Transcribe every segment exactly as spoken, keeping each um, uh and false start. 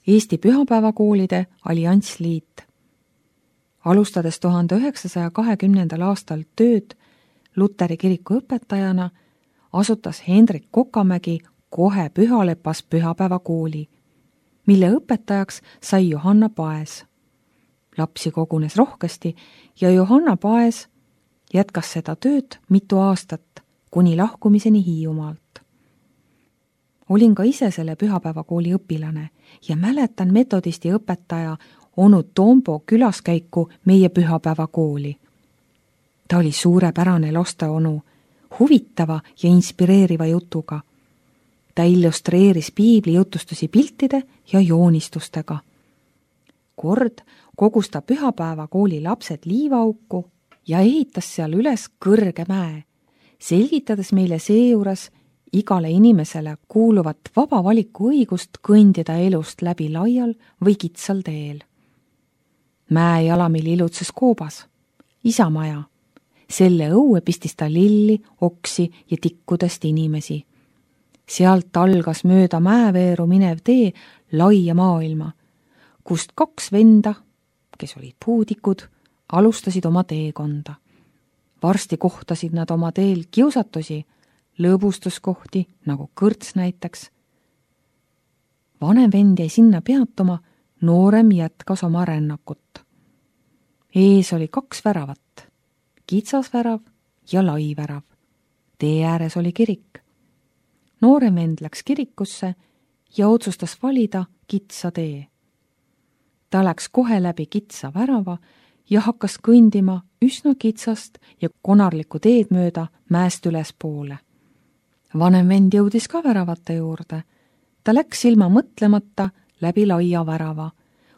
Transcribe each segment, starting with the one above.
Eesti Pühapäevakoolide Alliansliit. Alustades tuhande üheksasaja kahekümnendal aastal tööd Luteri kiriku õpetajana, asutas Hendrik Kokamägi kohe Pühalepas pühapäevakooli, mille õpetajaks sai Johanna Paes. Lapsi kogunes rohkesti ja Johanna Paes jätkas seda tööd mitu aastat, kuni lahkumiseni Hiiumaalt. Olin ka ise selle pühapäevakooli õpilane ja mäletan metodisti õpetaja onu Tombo külaskäiku meie pühapäevakooli. Ta oli suurepärane lasteonu, huvitava ja inspireeriva jutuga. Ta illustreeris piibli jutustusi piltide ja joonistustega. Kord kogus ta pühapäevakooli lapsed liivaauku ja ehitas seal üles kõrge mäe, selgitades meile seejuures igale inimesele kuuluvat vaba valiku õigust kõndida elust läbi laial või kitsal teel. Mäe jalamil ilutses koobas, isamaja. Selle õue pistis ta lilli, oksi ja tikkudest inimesi. Sealt algas mööda mäeveeru minev tee laia maailma, kust kaks venda, kes olid puudikud, alustasid oma teekonda. Varsti kohtasid nad oma teel kiusatusi, lõbustuskohti, nagu kõrts näiteks. Vanem vend jäi sinna peatuma, noorem jätkas oma rännakut. Ees oli kaks väravat, kitsas värav ja lai värav. Tee ääres oli kirik. Noorem vend läks kirikusse ja otsustas valida kitsa tee. Ta läks kohe läbi kitsa värava ja hakkas kõndima üsna kitsast ja konarlikku teed mööda mäest üles poole. Vanem vend jõudis ka väravate juurde. Ta läks ilma mõtlemata läbi laia värava,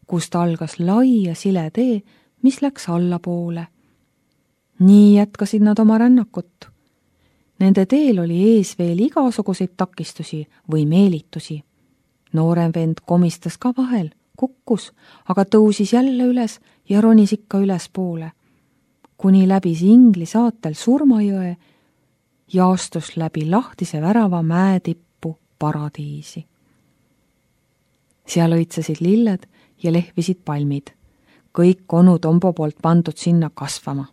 kust algas lai ja sile tee, mis läks allapoole. Nii jätkasid nad oma rännakut. Nende teel oli ees veel igasuguseid takistusi või meelitusi. Noorem vend komistas ka vahel, kukkus, aga tõusis jälle üles ja ronis ikka üles poole, kuni läbis Ingli saatel Surmajõe ja astus läbi lahtise värava mäetippu paradiisi. Seal õitsesid lilled ja lehvisid palmid, kõik onu Tombo poolt pandud sinna kasvama.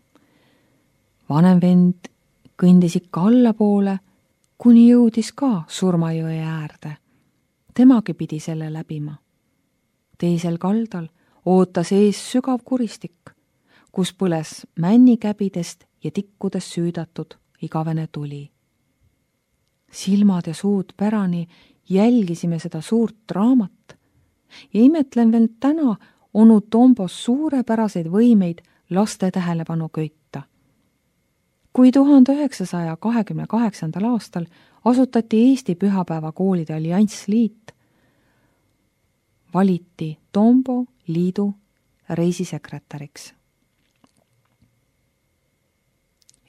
Vanem vend kõndis ikka allapoole, kuni jõudis ka Surmajõe äärde. Temagi pidi selle läbima. Teisel kaldal ootas ees sügav kuristik, kus põles männikäbidest ja tikkudest süüdatud igavene tuli. Silmad ja suud pärani jälgisime seda suurt draamat ja imetlen veel täna onu Tombos suurepäraseid võimeid laste tähelepanu köita. Kui tuhande üheksasaja kahekümne kaheksandal aastal asutati Eesti Pühapäevakoolide Alliansliit, valiti Tombo liidu reisisekretäriks.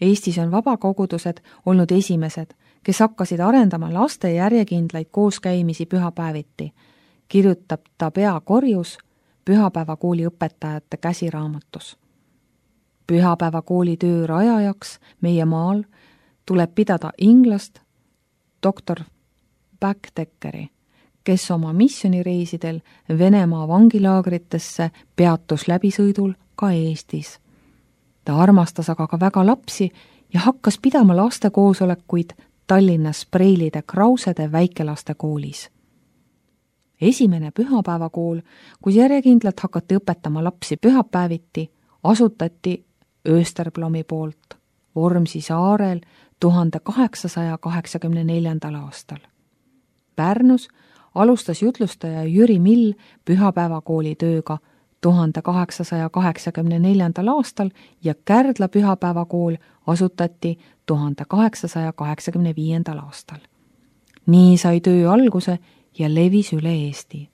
Eestis on vabakogudused olnud esimesed, kes hakkasid arendama laste järjekindlaid kooskäimisi pühapäeviti, kirjutab ta peakorjus Pühapäevakooli õpetajate käsiraamatus. Pühapäevakooli töö rajajaks meie maal tuleb pidada inglast doktor Backdeckeri, kes oma missioonireisidel Venemaa vangilaagritesse peatus läbisõidul ka Eestis. Ta armastas aga ka väga lapsi ja hakkas pidama lastekoosolekuid Tallinnas Preilide Krausede väikelaste koolis. Esimene pühapäevakool, kus järjekindlalt hakati õpetama lapsi pühapäeviti, asutati Österblomi poolt Vormsi saarel tuhande kaheksasaja kaheksakümne neljandal aastal. Pärnus alustas jutlustaja Jüri Mill pühapäevakooli tööga tuhande kaheksasaja kaheksakümne neljandal aastal ja Kärdla pühapäevakool asutati tuhande kaheksasaja kaheksakümne viiendal aastal. Nii sai töö alguse ja levis üle Eesti.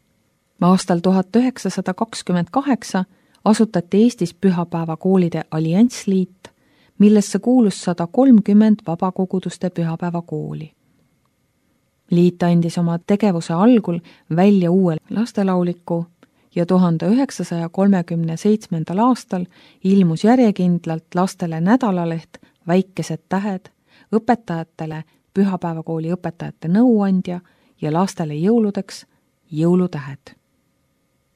Aastal tuhat üheksasada kakskümmend kaheksa asutati Eestis Pühapäevakoolide Alliansliit, millesse kuulus sada kolmkümmend vabakoguduste pühapäevakooli. Liit andis oma tegevuse algul välja uue lastelauliku ja tuhande üheksasaja kolmekümne seitsmendal aastal ilmus järjekindlalt lastele nädalaleht Väikesed tähed, õpetajatele pühapäevakooli õpetajate nõuandja ja lastele jõuludeks jõulutähed.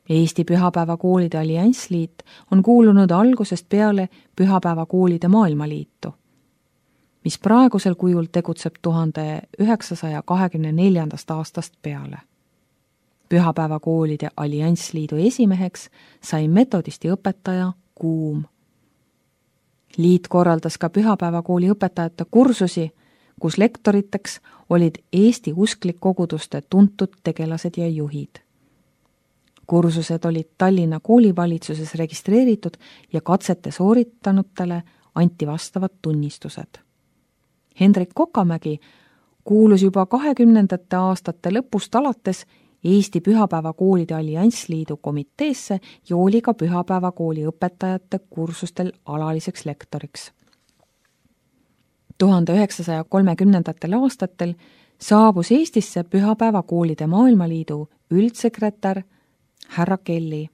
Eesti Pühapäevakoolide Alliansliit on kuulunud algusest peale Pühapäevakoolide Maailmaliitu, mis praegusel kujul tegutseb tuhande üheksasaja kahekümne neljandast aastast peale. Pühapäevakoolide Alliansliidu esimeheks sai metodisti õpetaja Kuum. Liit korraldas ka pühapäevakooli õpetajate kursusi, kus lektoriteks olid Eesti usklikkoguduste tuntud tegelased ja juhid. Kursused olid Tallinna koolivalitsuses registreeritud ja katsete sooritanutele anti vastavad tunnistused. Hendrik Kokamägi kuulus juba kahekümnendate aastate lõpust alates Eesti Pühapäevakoolide Alliansliidu komiteesse ja oli ka pühapäevakooli õpetajate kursustel alaliseks lektoriks. tuhande üheksasaja kolmekümnendatel aastatel saabus Eestisse Pühapäevakoolide Maailmaliidu üldsekretär härra Kelly.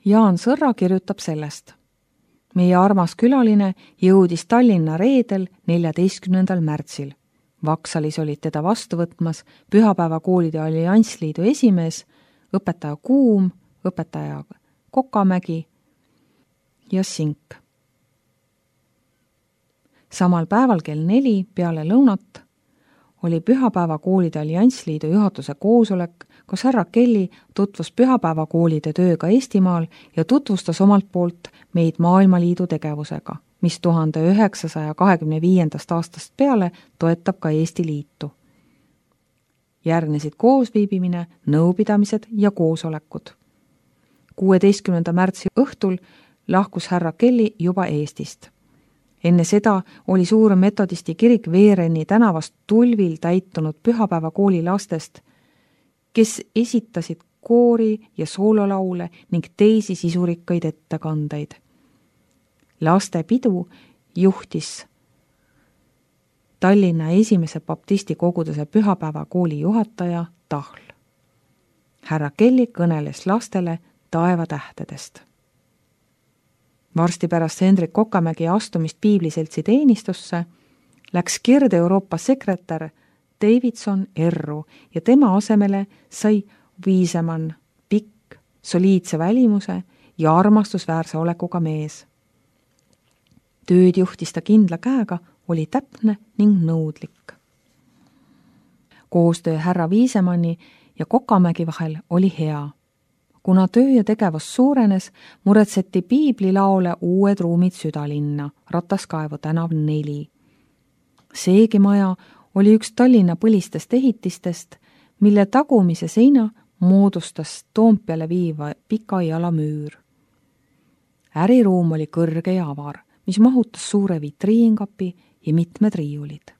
Jaan Sõrra kirjutab sellest. Meie armas külaline jõudis Tallinna reedel neljateistkümnendal märtsil. Vaksalis olid teda vastu võtmas Pühapäevakoolide Alliansliidu esimees, õpetaja Kuum, õpetaja Kokamägi ja Sink. Samal päeval kell neli peale lõunat oli Pühapäevakoolide Alliansliidu juhatuse koosolek, kus härra Kelly tutvus pühapäevakoolide tööga Eestimaal ja tutvustas omalt poolt meid Maailmaliidu tegevusega, mis tuhande üheksasaja kahekümne viiendast aastast peale toetab ka Eesti Liitu. Järgnesid koosviibimine, nõupidamised ja koosolekud. kuueteistkümnenda märtsi õhtul lahkus härra Kelly juba Eestist. Enne seda oli suur metodisti kirik Veereni tänavast tulvil täitunud pühapäevakooli lastest, kes esitasid koori ja soololaule ning teisi sisurikkaid ettekandeid. Laste pidu juhtis Tallinna esimese baptisti koguduse pühapäevakooli juhataja Tahl. Härra Kelly kõneles lastele taevatähtedest. Varsti pärast Hendrik Kokamägi astumist Piibliseltsi teenistusse läks Kirde-Euroopa sekretär Davidson erru ja tema asemele sai Viisemann, pikk, soliidse välimuse ja armastusväärse olekuga mees. Tööd juhtis ta kindla käega, oli täpne ning nõudlik. Koostöö härra Viisemanni ja Kokamägi vahel oli hea. Kuna töö ja tegevus suurenes, muretseti piiblilaole uued ruumid südalinna, Rataskaevu tänav neli. Seegi maja oli üks Tallinna põlistest ehitistest, mille tagumise seina moodustas Toompeale viiva pika jalamüür. Äriruum oli kõrge ja avar, mis mahutas suure vitriinkapi ja mitmed riiulid.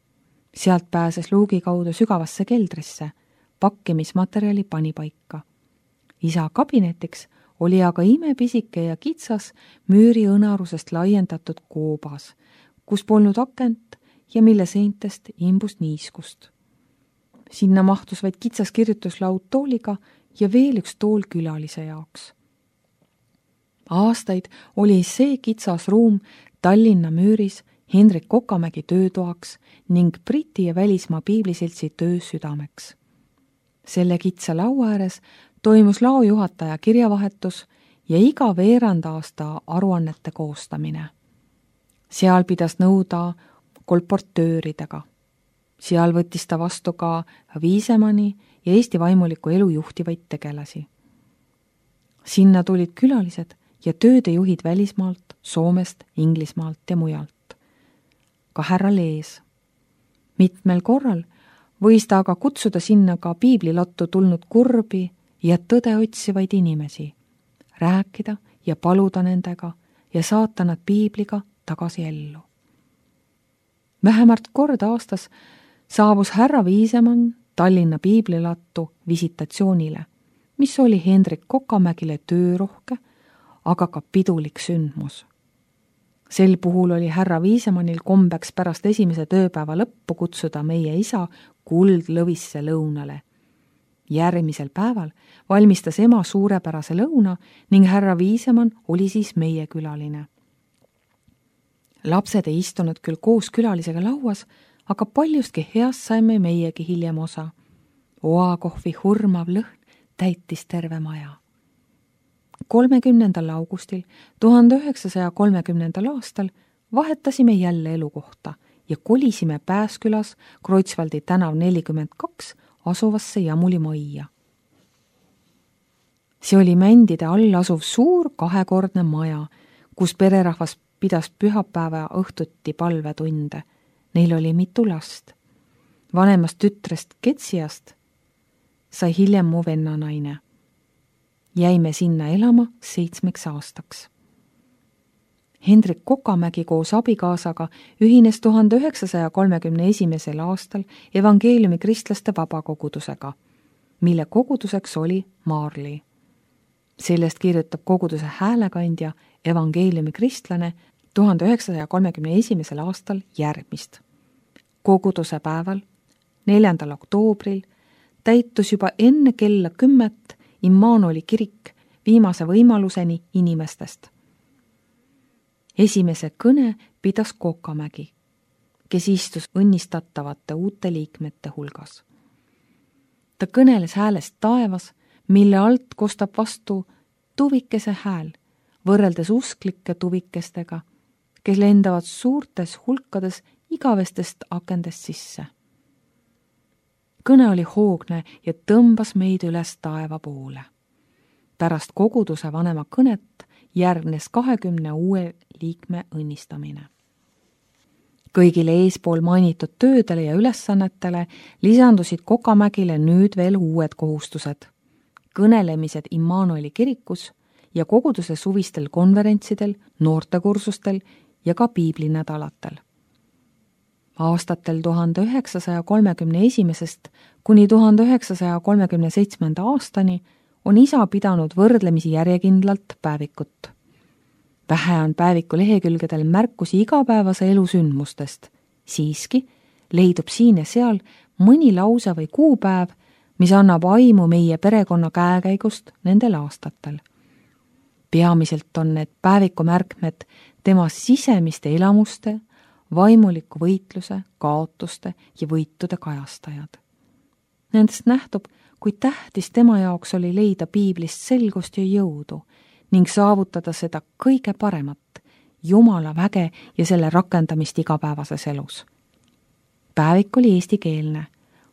Sealt pääses luugi kaudu sügavasse keldrisse, pakkimismaterjali pani paika. Isa kabinetiks oli aga imepisike ja kitsas müüri õnarusest laiendatud koobas, kus polnud akent ja mille seintest imbus niiskust. Sinna mahtus vaid kitsas kirjutuslaud tooliga ja veel üks tool külalise jaoks. Aastaid oli see kitsas ruum Tallinna müüris Hendrik Kokamägi töötoaks ning Briti ja välismaa piibliseltsi töö südameks. Selle kitsa laua ääres toimus laojuhataja kirjavahetus ja iga veerand aasta aruannete koostamine. Seal pidas nõuda kolportööridega. Seal võttis ta vastu ka Viisemanni ja Eesti vaimuliku elu juhtivaid tegelasi. Sinna tulid külalised ja töödejuhid välismaalt, Soomest, Inglismaalt ja mujalt. Ka härra Lees. Mitmel korral võis ta aga kutsuda sinna ka piiblilottu tulnud kurbi ja tõde otsivaid inimesi, rääkida ja paluda nendega ja saata nad piibliga tagasi ellu. Vähemalt kord aastas saabus härra Viisemann Tallinna piiblilattu visitatsioonile, mis oli Hendrik Kokamägile töörohke, aga ka pidulik sündmus. Sel puhul oli härra Viisemannil kombeks pärast esimese tööpäeva lõppu kutsuda meie isa kuldlõvisse lõunale. Järgmisel päeval valmistas ema suurepärase lõuna ning härra Viisemann oli siis meie külaline. Lapsed ei istunud küll koos külalisega lauas, aga paljustki heast saime meiegi hiljem osa. Oakohvi hurmav lõhn täitis terve maja. kolmekümnendal augustil tuhande üheksasaja kolmekümnendal aastal vahetasime jälle elukohta ja kolisime Pääskülas Kreutzwaldi tänav nelikümmend kaks asuvasse Jamuli majja. See oli Mändide all asuv suur kahekordne maja, kus pererahvas pidas pühapäeva õhtuti palvetunde. Neil oli mitu last. Vanemast tütrest Ketsiast sai hiljem mu vennanaine. Jäime sinna elama seitsmeks aastaks. Hendrik Kokamägi koos abikaasaga ühines tuhande üheksasaja kolmekümne esimesel aastal evangeeliumi kristlaste vabakogudusega, mille koguduseks oli Maarli. Sellest kirjutab koguduse häälekandja evangeeliumi kristlane tuhande üheksasaja kolmekümne esimesel aastal järgmist. Koguduse päeval, neljandal oktoobril, täitus juba enne kella kümmet Immanueli kirik viimase võimaluseni inimestest. Esimese kõne pidas Kokamägi, kes istus õnnistatavate uute liikmete hulgas. Ta kõneles häälest taevas, mille alt kostab vastu tuvikese hääl, võrreldes usklike tuvikestega, kes lendavad suurtes hulkades igavestest akendest sisse. Kõne oli hoogne ja tõmbas meid üles taeva poole. Pärast koguduse vanema kõnet järgnes kahekümne uue liikme õnnistamine. Kõigile eespool mainitud töödele ja ülesannetele lisandusid Kokamägile nüüd veel uued kohustused. Kõnelemised Immanueli kirikus ja koguduse suvistel konverentsidel, noortekursustel ja ka piiblinädalatel. Aastatel tuhande üheksasaja kolmekümne esimesest kuni tuhande üheksasaja kolmekümne seitsmenda aastani on isa pidanud võrdlemisi järjekindlalt päevikut. Vähe on päeviku lehekülgedel märkusi igapäevase elu sündmustest. Siiski leidub siin ja seal mõni lause või kuupäev, mis annab aimu meie perekonna käekäigust nendel aastatel. Peamiselt on need päeviku märkmed tema sisemiste elamuste, vaimuliku võitluse, kaotuste ja võitude kajastajad. Nendest nähtub, kui tähtis tema jaoks oli leida piiblist selgust ja jõudu ning saavutada seda kõige paremat, Jumala väge ja selle rakendamist igapäevases elus. Päevik oli eestikeelne,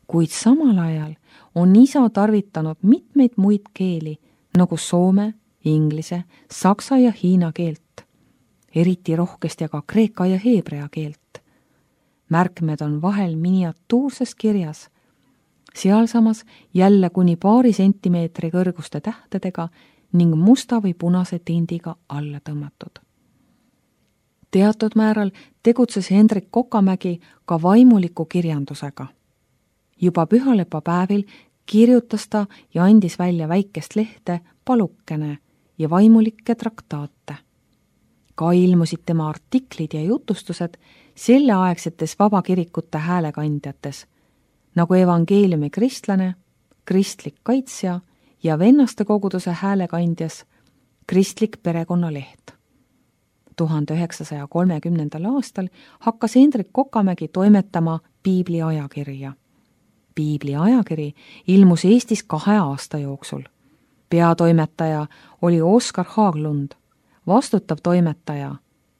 kuid samal ajal on isa tarvitanud mitmeid muid keeli, nagu soome, inglise, saksa ja hiina keelt, eriti rohkesti aga kreeka ja heebrea keelt. Märkmed on vahel miniatuurses kirjas, sealsamas jälle kuni paari sentimeetri kõrguste tähtedega ning musta või punase tindiga alla tõmmatud. Teatud määral tegutses Hendrik Kokamägi ka vaimuliku kirjandusega. Juba pühalepa päevil kirjutas ta ja andis välja väikest lehte Palukene ja vaimulikke traktaate. Ka ilmusid tema artiklid ja jutustused selleaegsetes vabakirikute häälekandjates, nagu evangeeliumi kristlane, kristlik kaitsja ja vennaste koguduse häälekandjas kristlik perekonnaleht. tuhande üheksasaja kolmekümnendal aastal hakkas Hendrik Kokamägi toimetama piibli ajakirja. Piibli ajakiri ilmus Eestis kahe aasta jooksul. Peatoimetaja oli Oskar Haaglund, vastutav toimetaja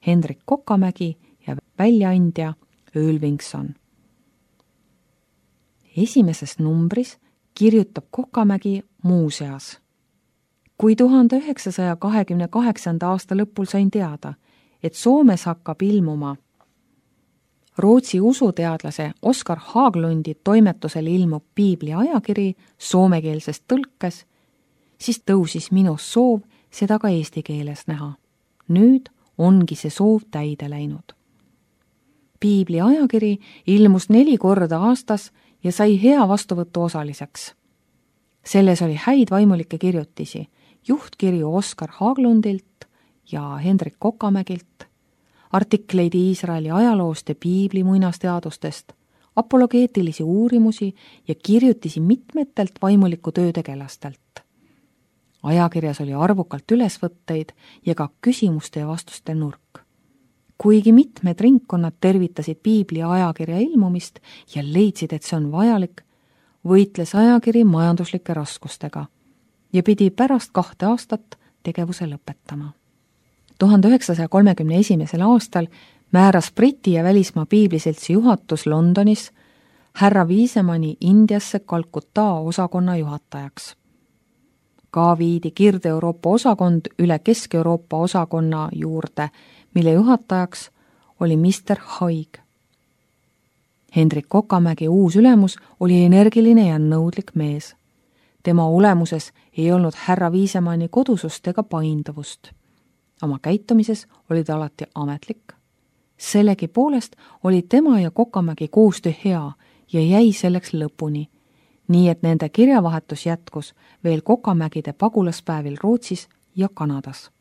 Hendrik Kokamägi ja väljaandja Ölvingson. Esimeses numbris kirjutab Kokamägi muuseas. Kui tuhande üheksasaja kahekümne kaheksanda aasta lõpul sain teada, et Soomes hakkab ilmuma Rootsi usuteadlase Oskar Haaglundi toimetusel ilmub piibli ajakiri soomekeelses tõlkes, siis tõusis minus soov seda ka eesti keeles näha. Nüüd ongi see soov täide läinud. Piibli ajakiri ilmus neli korda aastas ja sai hea vastuvõtu osaliseks. Selles oli häid vaimulikke kirjutisi, juhtkirju Oskar Haaglundilt ja Hendrik Kokamägilt, artikleid Iisraeli ajaloost ja piibli muinasteadustest, apologeetilisi uurimusi ja kirjutisi mitmetelt vaimuliku töötegelastelt. Ajakirjas oli arvukalt ülesvõtteid ja ka küsimuste ja vastuste nurk. Kuigi mitmed ringkonnad tervitasid piibli ajakirja ilmumist ja leidsid, et see on vajalik, võitles ajakiri majanduslike raskustega ja pidi pärast kahte aastat tegevuse lõpetama. tuhande üheksasaja kolmekümne esimesel aastal määras Briti ja välismaa piibliseltsi juhatus Londonis härra Wisemani Indiasse Kalkuta osakonna juhatajaks. Ka viidi Kirde-Euroopa osakond üle Kesk-Euroopa osakonna juurde, mille juhatajaks oli mister Haig. Hendrik Kokamägi uus ülemus oli energiline ja nõudlik mees. Tema olemuses ei olnud härra Wisemani kodusust ega painduvust. Oma käitumises oli ta alati ametlik. Sellegi poolest oli tema ja Kokamägi koostöö hea ja jäi selleks lõpuni, nii et nende kirjavahetus jätkus veel Kokamägide pagulaspäevil Rootsis ja Kanadas.